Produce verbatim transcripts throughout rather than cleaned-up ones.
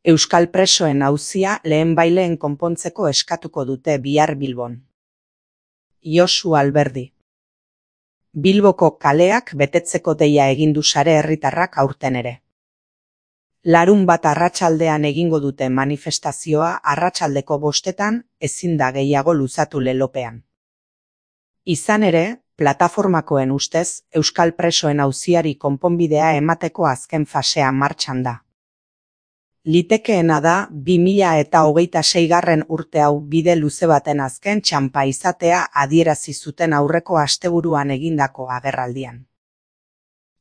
Euskal presoen auzia lehenbaileen konpontzeko eskatuko dute bihar Bilbon. Josu Alberdi. Bilboko kaleak betetzeko deia egin du sare herritarrak aurten ere. Larun bat arratsaldean egingo dute manifestazioa arratsaldeko bostetan ezin da gehiago luzatu lelopean. Izan ere, plataformakoen ustez, Euskal presoen auziari konponbidea emateko azken fasea martxan da. Litekeena da bi mila eta hogeita seigarren urte hau bide luze baten azken txanpa izatea adierazi zuten aurreko asteburuan egindako agerraldian.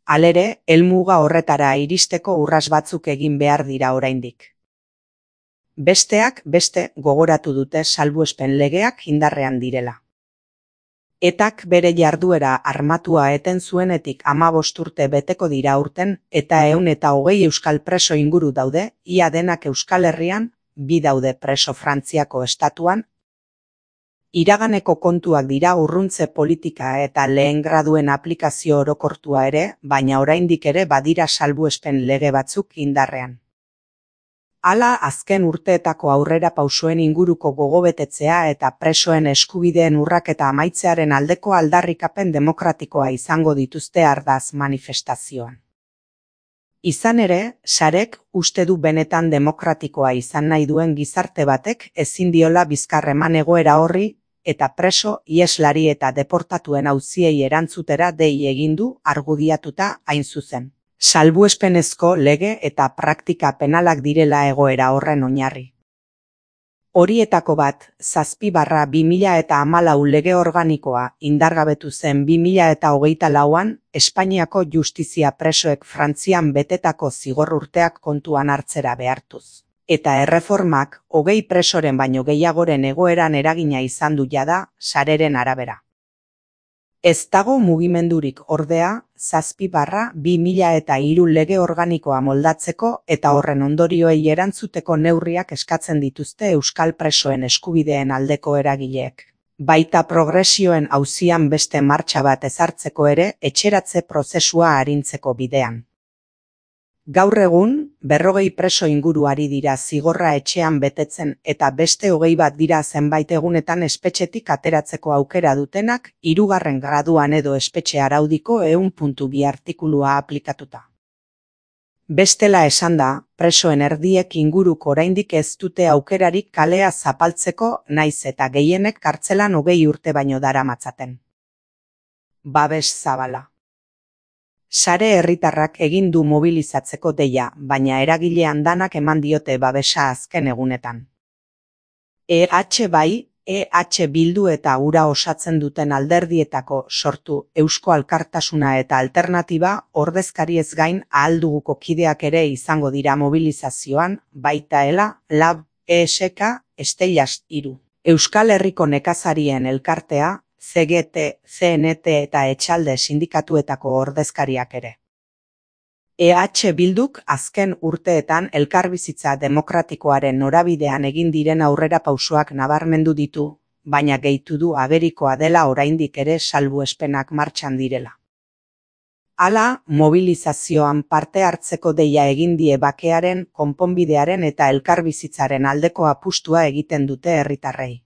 Halere, helmuga horretara iristeko urras batzuk egin behar dira oraindik. Besteak beste gogoratu dute salbuespen legeak indarrean direla. Etak bere jarduera armatua eten zuenetik hamabost urte beteko dira aurten eta ehun eta hogei euskal preso inguru daude, ia denak Euskal Herrian, bi daude preso Frantziako estatuan. Iraganeko kontuak dira urruntze politika eta lehen graduen aplikazio orokortua ere, baina oraindik ere badira salbuespen lege batzuk indarrean. Hala, azken urteetako aurrera pausoen inguruko gogobetetzea eta presoen eskubideen urraketa amaitzearen aldeko aldarrikapen demokratikoa izango dituzte ardaz manifestazioan. Izan ere, sarek uste du benetan demokratikoa izan nahi duen gizarte batek ezin diola bizkar eman egoera horri eta preso, iheslari eta deportatuen auziei erantzutera dei egin du argudiatuta hain zuzen. Salbuespenezko lege eta praktika penalak direla egoera horren oinarri. Horietako bat, zazpi barra bi mila eta hamalau lege organikoa indargabetu zen bi mila eta hogeita lauan, Espainiako justizia presoek Frantzian betetako zigor urteak kontuan hartzera behartuz. Eta erreformak hogei presoren baino gehiagoren egoeran eragina izan du jada, sareren arabera. Ez dago mugimendurik ordea, zazpi barra bi mila eta hiru lege organikoa moldatzeko eta horren ondorioei erantzuteko neurriak eskatzen dituzte euskal presoen eskubideen aldeko eragileek. Baita progresioen auzian beste martxa bat ezartzeko ere etxeratze prozesua arintzeko bidean. Gaur egun, berrogei preso inguru ari dira zigorra etxean betetzen eta beste hogei bat dira zenbait egunetan espetxetik ateratzeko aukera dutenak, hirugarren graduan edo espetxe araudiko ehun puntu bi artikulua aplikatuta. Bestela esan da, presoen erdiek inguruko oraindik ez dute aukerarik kalea zapaltzeko naiz eta gehienek kartzelan hogei urte baino daramatzaten. Babes zabala. Sare herritarrak egin du mobilizatzeko deia, baina eragile andanak eman diote babesa azken egunetan. E H bai, E H Bildu eta hura osatzen duten alderdietako sortu Eusko Alkartasuna eta Alternatiba ordezkariez gain ahal duguko kideak ere izango dira mobilizazioan, baita Ela, Lab, E S K, Esteilas hiru. Euskal Herriko nekazarien elkartea, C G T, C N T eta Etxalde sindikatuetako ordezkariak ere. E H Bilduk azken urteetan elkarbizitza demokratikoaren norabidean egin diren aurrera pausoak nabarmendu ditu, baina gehitu du agerikoa dela oraindik ere salbuespenak martxan direla. Hala, mobilizazioan parte hartzeko deia egin die bakearen, konponbidearen eta elkarbizitzaren aldeko apustua egiten dute herritarrei.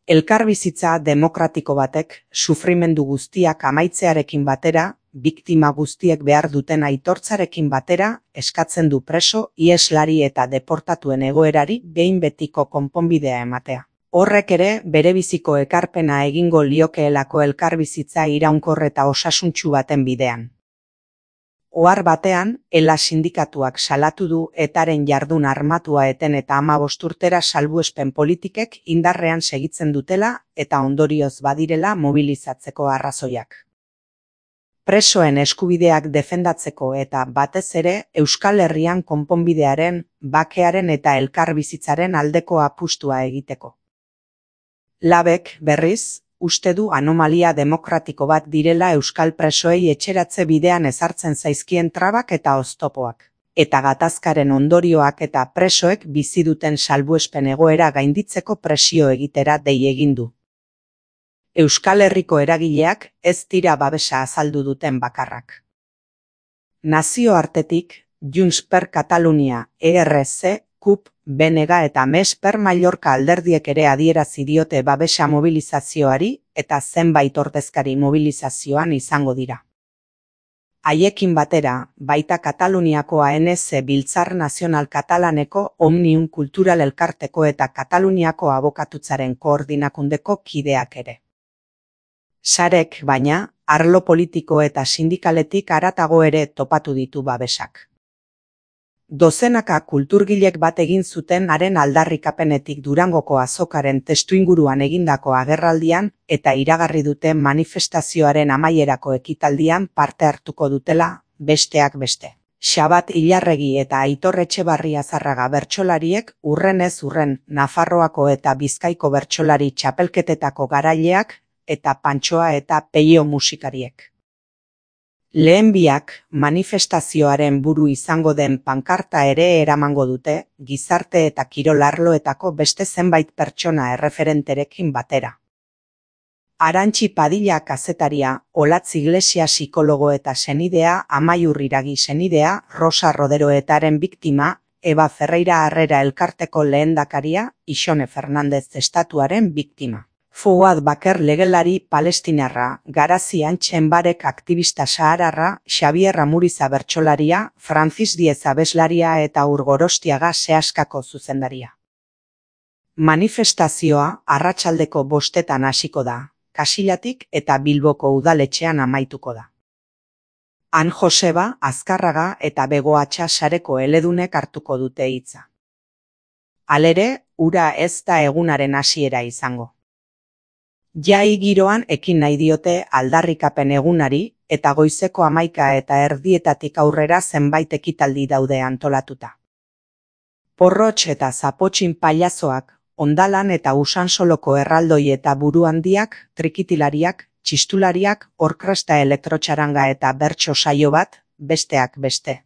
Elkarbizitza demokratiko batek, sufrimendu guztiak amaitzearekin batera, biktima guztiek behar duten aitortzarekin batera, eskatzen du preso, iheslari eta deportatuen egoerari behin betiko konponbidea ematea. Horrek ere, berebiziko ekarpena egingo liokeelako elkarbizitza iraunkor eta osasuntsu baten bidean. Ohar batean, Ela sindikatuak salatu du etaren jardun armatua eten eta hamabost urtera salbuespen politikek indarrean segitzen dutela eta ondorioz badirela mobilizatzeko arrazoiak. Presoen eskubideak defendatzeko eta batez ere Euskal Herrian konponbidearen, bakearen eta elkarbizitzaren aldeko apustua egiteko. Labek, berriz, uste du anomalia demokratiko bat direla euskal presoei etxeratze bidean ezartzen zaizkien trabak eta oztopoak. Eta gatazkaren ondorioak eta presoek bizi duten salbuespen egoera gainditzeko presio egitera dei egin du. Euskal Herriko eragileak ez dira babesa azaldu duten bakarrak. Nazioartetik, Junts per Catalunya, E R C, C U P, B N G eta Més per Mallorca alderdiek ere adierazi diote babesa mobilizazioari eta zenbait ordezkari mobilizazioan izango dira. Haiekin batera, baita Kataluniako A N S Biltzar Nazional Katalaneko Omnium Kultural Elkarteko eta Kataluniako Abokatutzaren Koordinakundeko kideak ere. Sarek, baina, arlo politiko eta sindikaletik haratago ere topatu ditu babesak. Dozenaka kulturgilek bat egin zuten haren aldarrikapenetik Durangoko azokaren testuinguruan egindako agerraldian eta iragarri dute manifestazioaren amaierako ekitaldian parte hartuko dutela, besteak beste. Xabat Ilarregi eta Aitor Etxebarria Zarraga bertsolariek urrenez urren Nafarroako eta Bizkaiko bertsolari txapelketetako garaileak eta Pantxoa eta Peio musikariek. Lehen biak, manifestazioaren buru izango den pankarta ere eramango dute, gizarte eta kirol arloetako beste zenbait pertsona erreferenterekin batera. Arantxi Padilla kazetaria, Olatz Iglesia psikologo eta senidea, Amaiur Iragi senidea, Rosa Roderoetaren biktima, Eba Ferreira Harrera elkarteko lehendakaria, Ixone Fernandez estatuaren biktima. Fuad Baker legelari palestinarra, Garazi Antxenbarek aktivista sahararra, Xabier Amuriza bertsolaria, Francis Diez abeslaria eta Urgorostiaga sehaskako zuzendaria. Manifestazioa arratsaldeko bostetan hasiko da, Kasillatik eta Bilboko udaletxean amaituko da. Han Joseba, Azkarraga eta Begoatxa sareko eledunek hartuko dute hitza. Halere, hura ez da egunaren hasiera izango. Jai giroan ekin nahi diote aldarrikapen egunari eta goizeko hamaika eta erdietatik aurrera zenbait ekitaldi daude antolatuta. Porrotx eta zapotxin pailazoak, Ondalan eta Usansoloko erraldoi eta buru handiak, trikitilariak, txistulariak, orkresta elektrotxaranga eta bertso saio bat, besteak beste.